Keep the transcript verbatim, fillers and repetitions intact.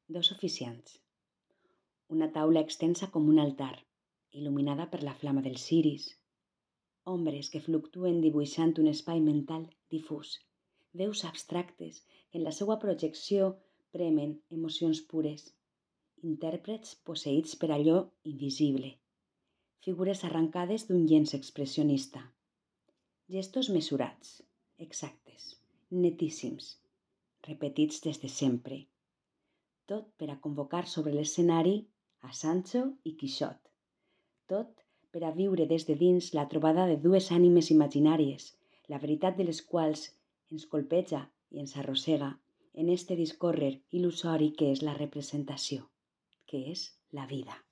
Dos oficiants. Una taula extensa com un altar, il·luminada per la flama dels ciris. Ombres que fluctuen dibuixant un espai mental difús. Veus abstractes que en la seva projecció premen emocions pures. Intèrprets posseïts per allò invisible. Figures arrancades d'un llenç expressionista. Gestos mesurats, exactes, netíssims, repetits des de sempre. Tot per a convocar sobre l'escenari a Sancho i Quixot. Tot per a viure des de dins la trobada de dues ànimes imaginàries, la veritat de les quals ens colpeja i ens arrossega en este discórrer il·lusori que és la representació, que és la vida.